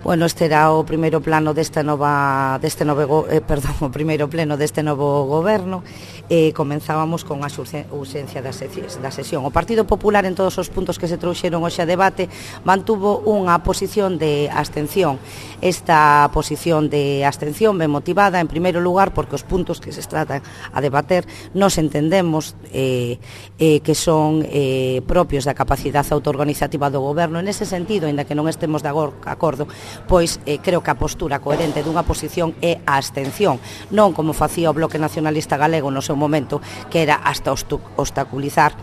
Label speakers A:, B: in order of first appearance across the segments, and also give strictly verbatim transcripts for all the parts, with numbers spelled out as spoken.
A: Bueno, este era o primeiro plano desta nova deste novo eh, perdón, o primeiro pleno deste novo goberno. Eh, comenzábamos con a urxencia da, da sesión. O Partido Popular, en todos os puntos que se trouxeron hoxe a debate, mantuvo unha posición de abstención. Esta posición de abstención ben motivada, en primeiro lugar, porque os puntos que se tratan a debater nos entendemos eh, eh, que son eh, propios da capacidade autoorganizativa do goberno. En ese sentido, ainda que non estemos de acordo, pois eh, creo que a postura coherente dunha posición é a abstención, non como facía o Bloque Nacionalista Galego no seu momento, que era hasta obstaculizar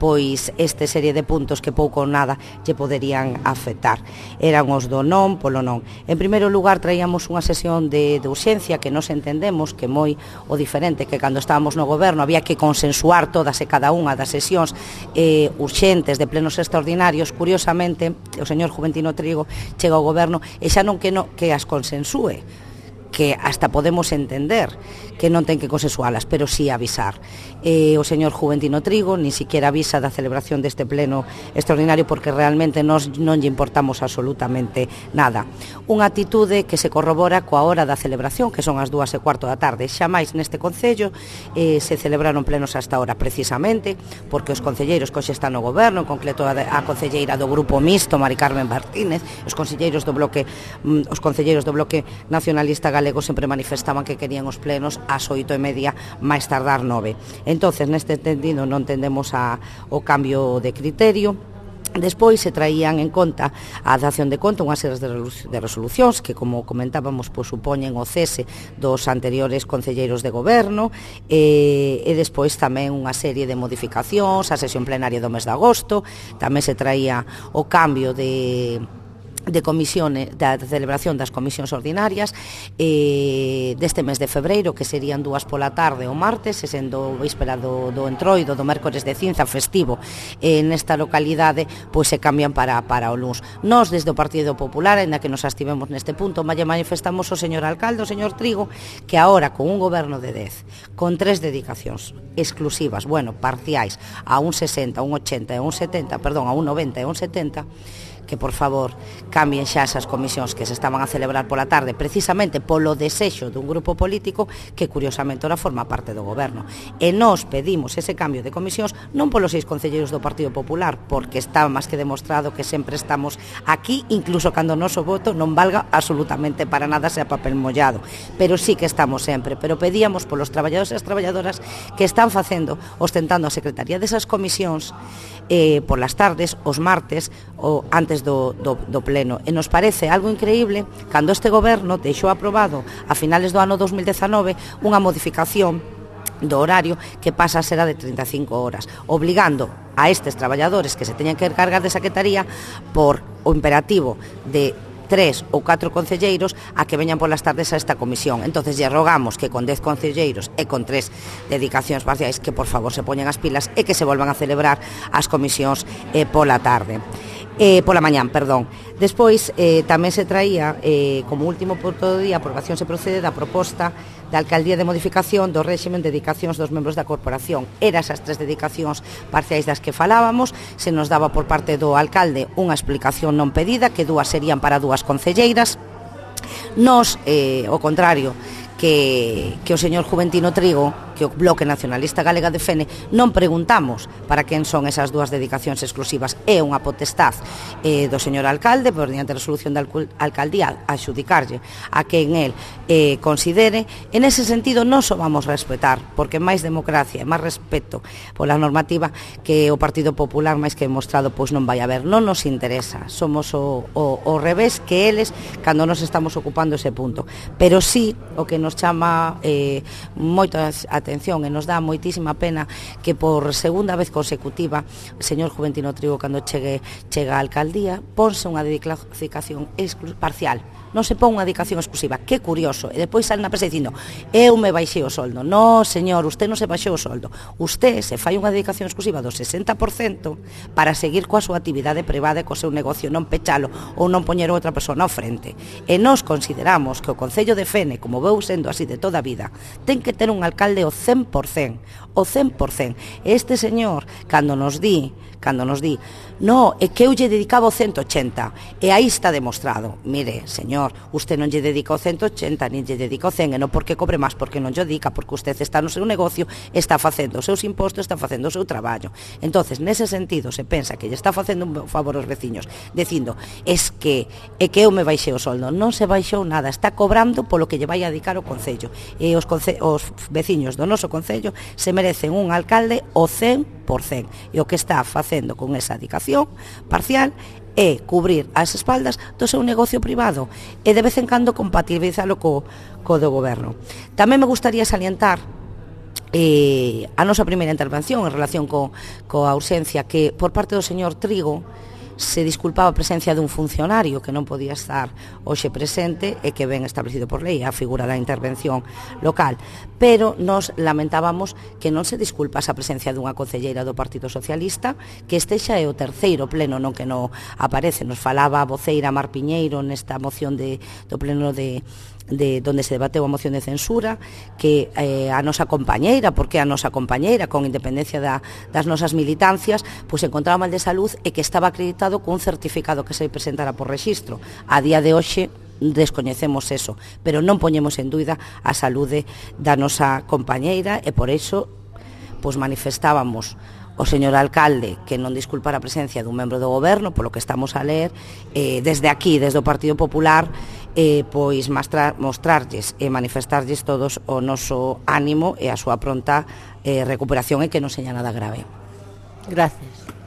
A: pois este serie de puntos que pouco ou nada lle poderían afectar. Eran os do non polo non. En primeiro lugar, traíamos unha sesión de, de urxencia que nos entendemos que moi o diferente que cando estábamos no goberno había que consensuar todas e cada unha das sesións eh, urxentes de plenos extraordinarios. Curiosamente, o señor Juventino Trigo chega ao goberno e xa non que, no, que as consensúe, que hasta podemos entender que non ten que consensualas, pero sí avisar. Eh, o señor Juventino Trigo ni siquiera avisa da celebración deste pleno extraordinario porque realmente nos non lle importamos absolutamente nada. Unha actitude que se corrobora coa hora da celebración, que son as dúas e cuarto da tarde. Xa máis neste concello eh, se celebraron plenos hasta ahora, precisamente porque os concelleiros que hoxe están no goberno, en concreto a, a concelleira do Grupo Mixto, Mari Carmen Martínez, os concelleiros do bloque, mm, os concelleiros do Bloque Nacionalista Galego sempre manifestaban que querían os plenos ás oito e media, máis tardar nove. Entonces, neste entendido, non tendemos a, o cambio de criterio. Despois se traían en conta a dación de conta unhas series de resolucións que, como comentábamos, pois, supoñen o cese dos anteriores concelleiros de goberno e, e despois tamén unha serie de modificacións a sesión plenaria do mes de agosto. Tamén se traía o cambio de de comisións, da celebración das comisións ordinarias eh, deste mes de febreiro, que serían dúas pola tarde o martes, e sendo víspera do, do entroido, do mércores de cinza festivo eh, nesta localidade, pois se cambian para, para o luns. Nós, desde o Partido Popular, ainda que nos abstivemos neste punto, lle manifestamos ao señor alcalde, ao señor Trigo, que agora, con un goberno de dez, con tres dedicacións exclusivas, bueno, parciais, a un sesenta, a un ochenta e a un setenta, perdón, a un noventa e a un setenta, que, por favor, cambien xa esas comisións que se estaban a celebrar pola tarde precisamente polo desexo dun grupo político que, curiosamente, ora forma parte do goberno. E nós pedimos ese cambio de comisións non polos seis concelleiros do Partido Popular, porque está máis que demostrado que sempre estamos aquí, incluso cando o noso voto non valga absolutamente para nada, sea papel mollado, pero sí que estamos sempre. Pero pedíamos polos traballadores e as traballadoras que están facendo, ostentando a secretaría desas comisións eh, polas tardes, os martes, ou antes Do, do, do pleno. E nos parece algo increíble cando este goberno deixou aprobado a finales do ano dos mil dezanove unha modificación do horario que pasa a ser a de trinta e cinco horas, obligando a estes traballadores que se teñan que encargar de secretaría por o imperativo de tres ou catro concelleiros a que veñan polas tardes a esta comisión. Entonces lle rogamos que con dez concelleiros e con tres dedicacións parciais que por favor se poñen as pilas e que se volvan a celebrar as comisións eh, pola tarde. Eh, pola mañán, perdón. Despois eh, tamén se traía eh, como último punto do día, aprobación se procede da proposta da Alcaldía de modificación do réximen de dedicacións dos membros da corporación. Eran esas tres dedicacións parciais das que falábamos, se nos daba por parte do alcalde unha explicación non pedida, que dúas serían para dúas concelleiras. Nos, eh, ao contrario, que, que o señor Juventino Trigo, que o Bloque Nacionalista Galega defende, non preguntamos para quen son esas dúas dedicacións exclusivas. É unha potestad eh, do señor alcalde, por diante da resolución da alcaldía, a xudicarlle a quen el eh, considere. En ese sentido, nós o vamos respetar, porque máis democracia e máis respeto pola normativa que o Partido Popular, máis que demostrado, pois non vai haber. Non nos interesa, somos o, o, o revés que eles cando nos estamos ocupando ese punto. Pero sí, o que nos chama eh, moita atención e nos dá moitísima pena que por segunda vez consecutiva o señor Juventino Trigo, cando chegue chega á alcaldía, ponse unha dedicación parcial, non se pon unha dedicación exclusiva. Que curioso. E depois sale na prensa dicindo: eu me baixei o soldo. No, señor, usted non se baixou o soldo. Usted se fai unha dedicación exclusiva do sesenta por cento para seguir coa súa actividade privada e co seu negocio, non pechalo ou non poñer outra persona ao frente. E nós consideramos que o Concello de Fene, como veu sendo así de toda a vida, ten que ter un alcalde o cen por cen, o cen por cen. Este señor, cando nos di, cando nos di, no, é que eu lle dedicaba o ciento ochenta, e aí está demostrado. Mire, señor, usted non lle dedica o ciento ochenta, nin lle dedica o cen, e non porque cobre máis, porque non lle dedica, porque usted está no seu negocio, está facendo os seus impostos, está facendo o seu traballo. Entonces, nese sentido, se pensa que lle está facendo un favor aos veciños, dicindo, es que é que eu me baixei o soldo. Non se baixou nada, está cobrando polo que lle vai a dedicar o Concello. E os, conce os veciños do noso Concello se merecen un alcalde o cen por cen. E o que está facendo con esa dedicación parcial é cubrir as espaldas do seu negocio privado e de vez en cando compatibilizalo co, co do goberno. Tamén me gustaría salientar eh, a nosa primeira intervención en relación co, coa ausencia que por parte do señor Trigo se disculpaba a presencia dun funcionario que non podía estar hoxe presente e que ben establecido por lei a figura da intervención local, pero nos lamentábamos que non se disculpase a presencia dunha concelleira do Partido Socialista, que este xa é o terceiro pleno no que non aparece. Nos falaba a voceira Mar Piñeiro nesta moción de, do pleno de de donde se debateu a moción de censura, que eh, a nosa compañeira, porque a nosa compañeira, con independencia da, das nosas militancias, pois encontraba mal de salud e que estaba acreditado cun certificado que se presentara por rexistro. A día de hoxe descoñecemos eso, pero non poñemos en dúida a saúde da nosa compañeira e por iso pois manifestábamos o señor alcalde que non disculpara a presencia dun membro do goberno, polo que estamos a ler, eh, desde aquí, desde o Partido Popular, eh, pois mostrar, mostrarlles e manifestarlles todos o noso ánimo e a súa pronta eh, recuperación e que non seña nada grave.
B: Gracias.